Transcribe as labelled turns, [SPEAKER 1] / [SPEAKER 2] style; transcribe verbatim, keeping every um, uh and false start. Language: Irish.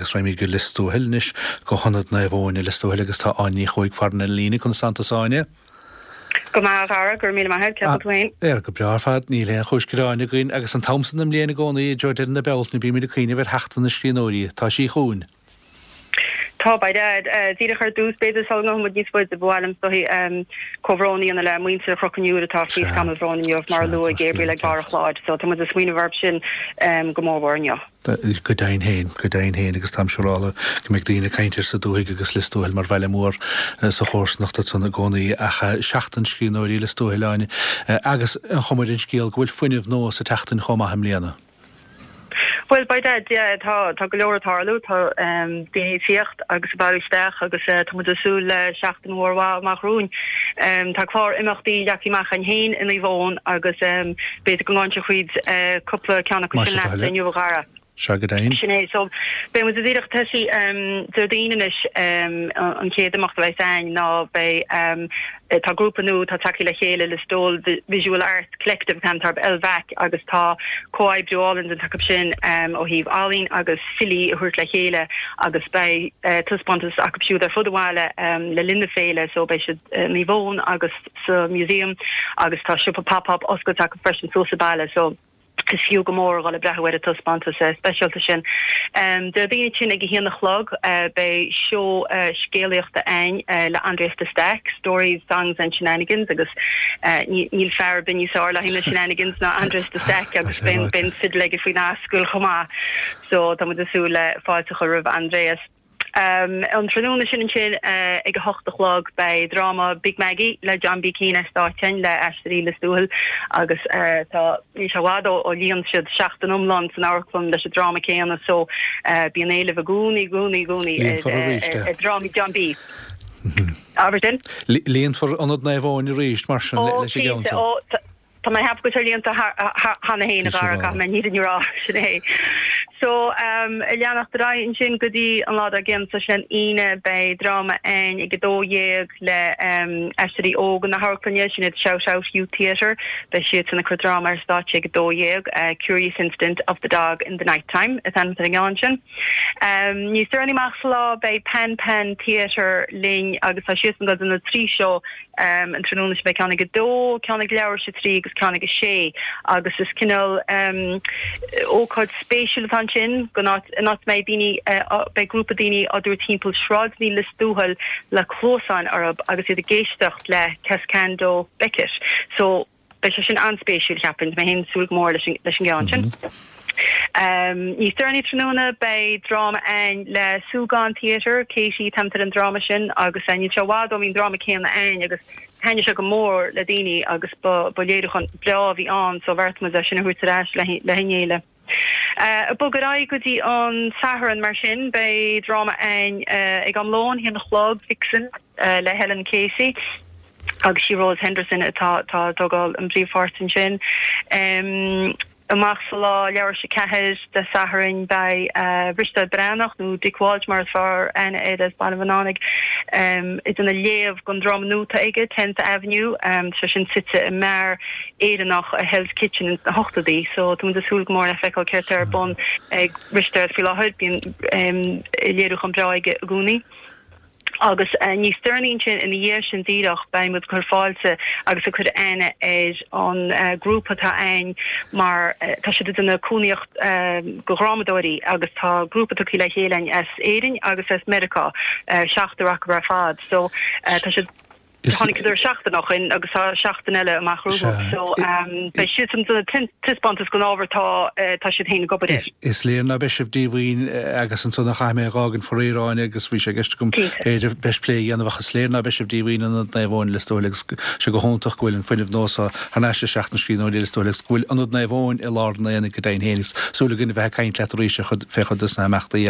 [SPEAKER 1] agus raghaimid go Lios Tuathail anois go hIonad Naomh Eoin i Lios Tuathail agus tá Áine Ní Chuaig ar an líne conas tánn tú Áine.
[SPEAKER 2] Go maith ara gur mí maith ceap féin.
[SPEAKER 1] Er go breá fad níl aon chúis ghearáin againn agus an t-am san den mbliain i gcónaí i dtreo deireadh na Bealtaine bímid ag cuimhneamh ar Sheachtain na Scríbhneoirí tá sí chugainn.
[SPEAKER 2] Tá ba díreach ar dtús b'fhéidir sula ngabhaimid níos faide bhhailm soí comhbhrónaíonna le muintir Chrocanúir atá faoi scamall bhróin inniu mar a luaigh Gabriel ag barr an chláir, so tá muid ag smaoineamh orthu sin go mór inniu.
[SPEAKER 1] go deimhin féin go deimhin féin agus táim siúráilte go mbeidh daoine ag caint air sa dúthaigh agus Lios Tuathail mar bhaile mór sa chomharsanacht san i gcónaí ach Seachtain Scríbhneoirí Lios Tuathail Áine agus an chuma ar an scéal go bhfuil fuinneamh nua sa tseachtain chomh maith i mbliana.
[SPEAKER 2] Well by that yeah, tá tá go leor ag tarlú tá um, daoine tíocht agus baú isteach agus uh, tá muid ag súil le seachtain mhór amach romhainn. Um, tá clár imeachtaí leagtha amach againn féin in Naomh Eoin agus um, b'fhéidir go ngabhfainn tríd uh, cúpla ceann acu sin leat inniu a Dhara.
[SPEAKER 1] Se go deimhin.
[SPEAKER 2] Sin é so beidh muid díreach tosaí um, Déardaoin anois um, an chéad imeacht le sein ná beidh um, tá grúpa nua tá tagtha le chéile Listowel Visual Arts Collective Cantarb Elvac agus tá comhoibriú álainn acu sin um, ó thaobh ealaín agus filí a thabhairt le chéile agus beidh uh, taispeántas acu siúd ar fud an bhaile um, le linn na féile so beidh siad uh, Naomh Eoin agus sa museum agus tá siopa pop-up oscailte acu freisin so sa baile so is fiú go mór le breathnú ar an taispeántas uh, speisialta sin. Um, Déardaoin sin ag a haon a chlog uh, beidh seó uh, scéalaíochta ann uh, le Andreas de Stack, Stories, Songs and Shenanigans agus uh, níl fear bin níos fearr le na shenanigans ná Andreas de Stack agus beidh beidh fidil aige faoin ascaill chomh maith. So tá muid ag súil le fáilte a chur roimh Andreas. Um, an tráthnóna sin sin uh, ag a hocht a chlog beidh dráma Big Maggie le John B. Keane státen le Aisteoirí Lios Tuathail agus uh, tá ní sé i bhfad ó líon siad seachtain iomlán san amharclann leis an dráma céanna so uh, bíonn éileamh i gcónaí i gcónaí i gcónaí drámaí John B. Aber sin?
[SPEAKER 1] Líonfar Ionad Naomh Eoin arís mar sin leis an gceann.
[SPEAKER 2] Tá mé hap go líonta cheana féin a mé ní rá sin é. So um, leanacht ra sin go dtí an lá gin sa sin Aoine beidh dráma ann ag a dó dhéag le um, Aisteoirí Óga na hamharclainne sin iad Shout Out Youth Theatre beidh siad san ag cur dráma ar stáitse ag a dó dhéag uh, Curious Incident of the Dog in the Nighttime is an an sin. Um, Níos deireanaí amach sa lá beidh Pen Pen Theatre linn agus tá siad go na trí seo um, an tráthnóna beidh ceann ag a dó ceann ag leathuair tar éis a trí agus ceann ag a sé agus is cineál um, ócáid spéisiúil atá sin go nach mbeidh daoine uh, beidh grúpa daoine á dtabhairt timpeall sráideanna Lios Tuathail le cluasáin orthu agus iad ag éisteacht le Cascando Beckett. So beidh sé sin an-spéisiúil ceapaim mé ag súil mór leis an gceann sin. Mm -hmm. Um, Níos deireanaí tráthnóna beidh dráma ann le Súgán Theatre, Katie Temter an dráma sin agus níl sé i bhfad ó bhí an dráma céanna ann agus thaitnigh sé go mór le daoine agus ba léiriúchán breá a bhí ann so bheartaigh muid sin a thabhairt ar ais le le chéile. Uh, bog ar aghaidh go dtí an Satharn mar sin beidh dráma ann uh, ag am lóin a haon a chlog Vixen uh, le Helen Casey. agus sí Rose Henderson atá tá tógáil an príomhpháirt sin. Um, amach sa lá leathuair tar éis a ceathair Dé Sathairn beidh uh, Risteard Breathnach nó Dick Walsh mar is fearr aithne air as Baile Bhunánaigh um, ag léamh ón dráma nua aige Tenth Avenue um, sé sin suite i mbeár Éireannach i Hell's Kitchen in na hochtóidí, so tá súil go mór le feiceáil céard atá ar bun ag Risteard faoi láthair bíonn um, léiriúchán breá aige i gcónaí. Agus uh, níos deireanaí sin ina dhiaidh sin díreach beidh muid ag cur fáilte agus ag cur aithne ar an uh, grúpa atá ann mar uh, tá siad ina cónaíocht uh, go dhrámadóirí agus tá grúpa tagtha le chéile as Éirinn agus as Meiriceá uh, seachtar acu ar fad so uh, tá siad Tháinig idir seachtain ó shin agus tá seachtain eile amach rompu so um, beidh siad san taispeántas gon ábhar tá tá siad féin ag obair.
[SPEAKER 1] Is léir ná beidh sibh díomhaoin agus ansan a chaith mé gágan foréáin agus bhí sé ceist agam b'fhéidir beis plé dhéanamh is léir ná beidh sibh díomhaoin Ionad Naomh Eoin Lios Tuathail agus sé go hiontach go bhfuil an fuinneamh nua thar n-ais i Seachtain Scríbhneoirí Lios Tuathail agus go bhfuil Ionad Naomh Eoin i lár na go deimhin féin súil againn bheith ag caint leat arís fé chuid de na himeachtaí